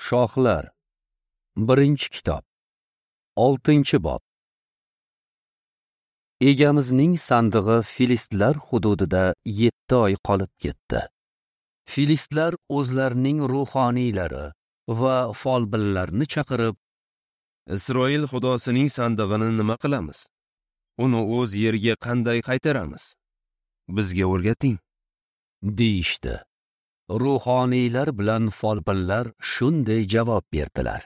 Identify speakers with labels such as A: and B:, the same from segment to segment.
A: Shohlar. 1-kitob. 6-bob. Egamizning sandig'i filistlar hududida 7 oy qolib ketdi. Filistlar o'zlarining ruhoniylari va folbinlarni chaqirib,
B: Isroil xudosining sandig'ini nima qilamiz? Uni o'z yeriga qanday qaytaramiz? Bizga o'rgating,
A: deyishdi. Ruhoniylar bilan folbinlar shunday javob berdilar: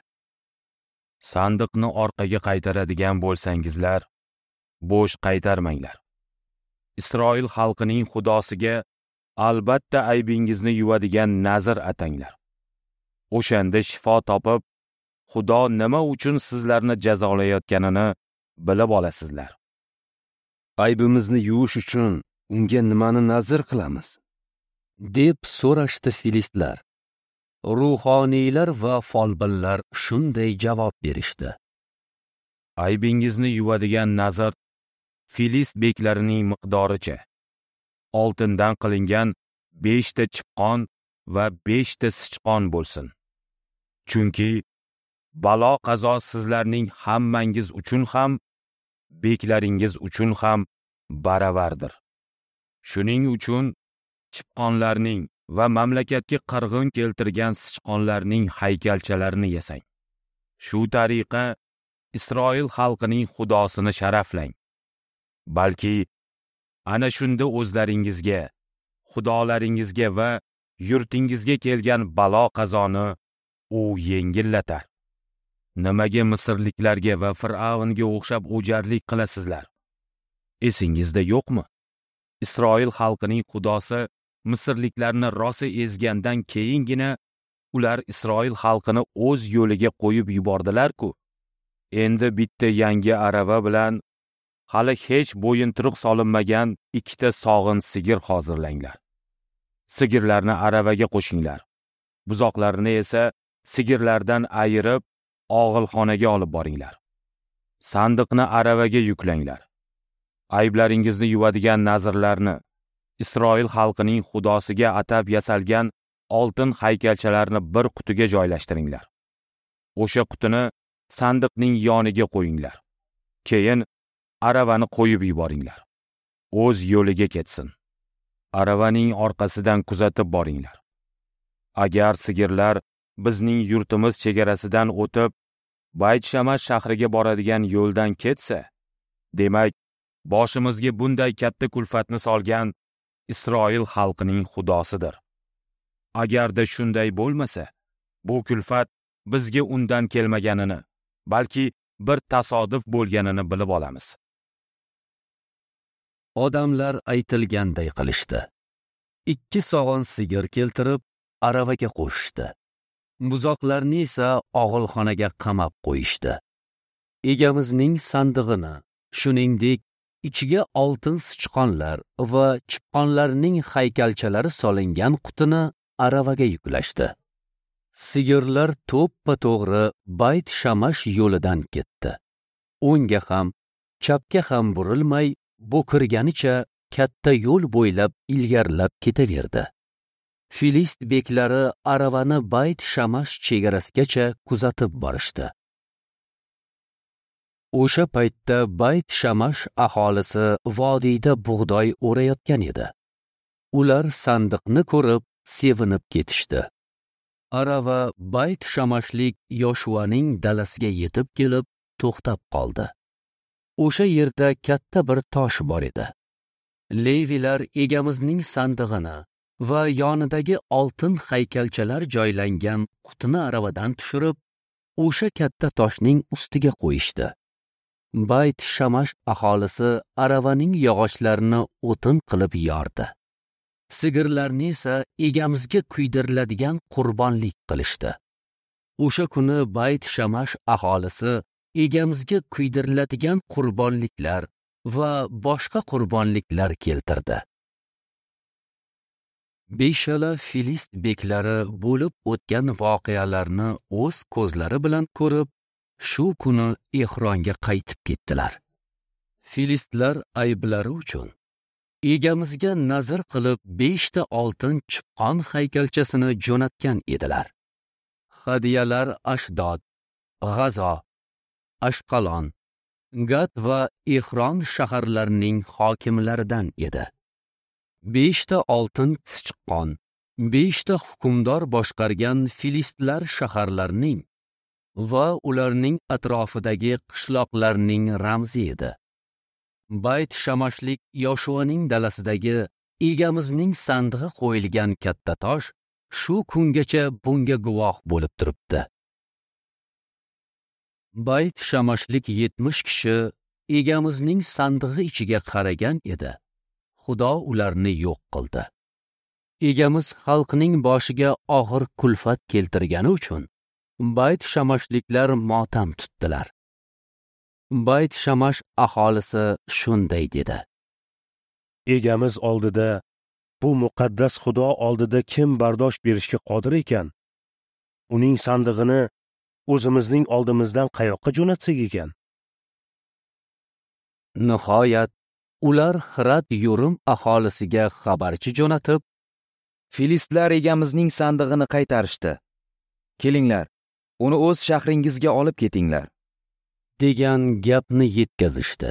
C: Sandiqni orqaga qaytaradigan bo'lsangizlar, bo'sh qaytarmanglar. Isroil xalqining xudosiga albatta aybingizni yuvadigan nazr atanglar. O'shanda shifo topib, Xudo nima uchun sizlarni jazolayotganini bilib olasizlar.
B: Aybimizni yuvish uchun unga nimani nazr qilamiz?
A: Deb so'rashdi filistlar. Ruhoniylar va folbinlar shunday javob berishdi:
C: Aybingizni yuvadigan nazr filist beklarining miqdoricha oltindan qilingan 5 ta chipqon va 5 ta sichqon bo'lsin. Chunki balo qazo sizlarning hammangiz uchun ham, beklaringiz uchun ham baravardir. Shuning uchun chipqonlarning va mamlakatga qirg'in keltirgan sichqonlarning haykalchalarini yasang. Shu tariqa Isroil xalqining xudosini sharaflang. Balki ana shunda o'zlaringizga, xudolaringizga va yurtingizga kelgan balo qazoni u yengillatar. Nimaga misrliklarga va Fir'avnga o'xshab o'jarlik qilasizlar? Esingizda yo'qmi? Isroil xalqining xudosi misrliklarni rosa ezgandan keyingina ular Isroil xalqini o'z yo'liga qo'yib yubordilar-ku. Endi bitta yangi arava bilan hali hech bo'yinturuq solinmagan 2 ta sog'in sigir hozirlanglar. Sigirlarni aravaga qo'shinglar. Buzoqlarni esa sigirlardan ayirib og'ilxonaga olib boringlar. Sandiqni aravaga yuklanglar. Ayblaringizni yuvadigan nazrlarni, Isroil xalqining xudosiga atab yasalgan oltin haykalchalarni bir qutiga joylashtiringlar. O'sha qutini sandiqning yoniga qo'yinglar. Keyin aravani qo'yib yuboringlar. O'z yo'liga ketsin. Aravaning orqasidan kuzatib boringlar. Agar sigirlar bizning yurtimiz chegarasidan o'tib, Bayt-Shamash shahriga boradigan yo'ldan ketsa, demak, boshimizga bunday katta kulfatni solgan Isroil xalqining xudosidir. Agarda shunday bo'lmasa, bu kulfat bizga undan kelmaganini, balki bir tasodif bo'lganini bilib olamiz.
A: Odamlar aytilganday qilishdi. 2 sog'in sigir keltirib, aravaga qo'shishdi. Buzoqlarni esa og'ilxonaga qamab qo'yishdi. Egamizning sandig'ini, shuningdek, ichiga oltin sichqonlar va chipqonlarning haykalchalari solingan qutini aravaga yuklashdi. Sigirlar to'ppa-to'g'ri Bayt-Shamash yo'lidan ketdi. O'ngga ham, chapga ham burilmay, bo'kirganicha katta yo'l bo'ylab ilgarilab ketaverdi. Filist beklari aravani Bayt-Shamash chegarasigacha kuzatib borishdi. O'sha paytda Bayt-Shamash aholisi vodiyda bug'doy o'rayotgan edi. Ular sandiqni ko'rib sevinib ketishdi. Arava Bayt-Shamashlik Yoshuaning dalasiga yetib kelib to'xtab qoldi. O'sha yerda katta bir tosh bor edi. Levilar egamizning sandig'ini va yonidagi oltin haykalchalar joylangan qutini aravadan tushirib, o'sha katta toshning ustiga qo'yishdi. Bayt-Shamash aholisi aravaning yog'ochlarini o'tin qilib yordi. Sigirlarni esa egamizga kuydiriladigan qurbonlik qilishdi. O'sha kuni Bayt-Shamash aholisi egamizga kuydiriladigan qurbonliklar va boshqa qurbonliklar keltirdi. Beshala filist beklari bo'lib o'tgan voqealarni o'z ko'zlari bilan ko'rib, shu kuni Ehronga qaytib ketdilar. Filistlar ayblari uchun egamizga nazr qilib 5 ta oltin chipqon haykalchasini jo'natgan edilar. Hadyalar Ashdod, G'azo, Ashqalon, Gat va Ehron shaharlarining hokimlaridan edi. 5 ta oltin sichqon, 5 ta hukmdor boshqargan filistlar shaharlarining va ularning atrofidagi qishloqlarning ramzi edi. Bayt Shamashlik Yoshuaning dalasidagi Egamizning sandig'i qo'yilgan katta tosh shu kungacha bunga guvoh bo'lib turibdi. Bayt Shamashlik 70 kishi Egamizning sandig'i ichiga qaragan edi. Xudo ularni yo'q qildi. Egamiz xalqning boshiga og'ir kulfat keltirgani uchun Bayt Shamashliklar motam tutdilar. Bayt Shamash aholisi shunday dedi:
D: Egamiz oldida, bu muqaddas Xudo oldida kim bardosh berishga qodir ekan? Uning sandig'ini o'zimizning oldimizdan qayoqqa jo'natsak ekan?
A: Nihoyat ular Xirat Yurim aholisiga xabarchi jo'natib,
E: Filistlar egamizning sandig'ini qaytarishdi. Kelinglar, uni o'z shahringizga olib ketinglar,
A: degan gapni yetkazishdi.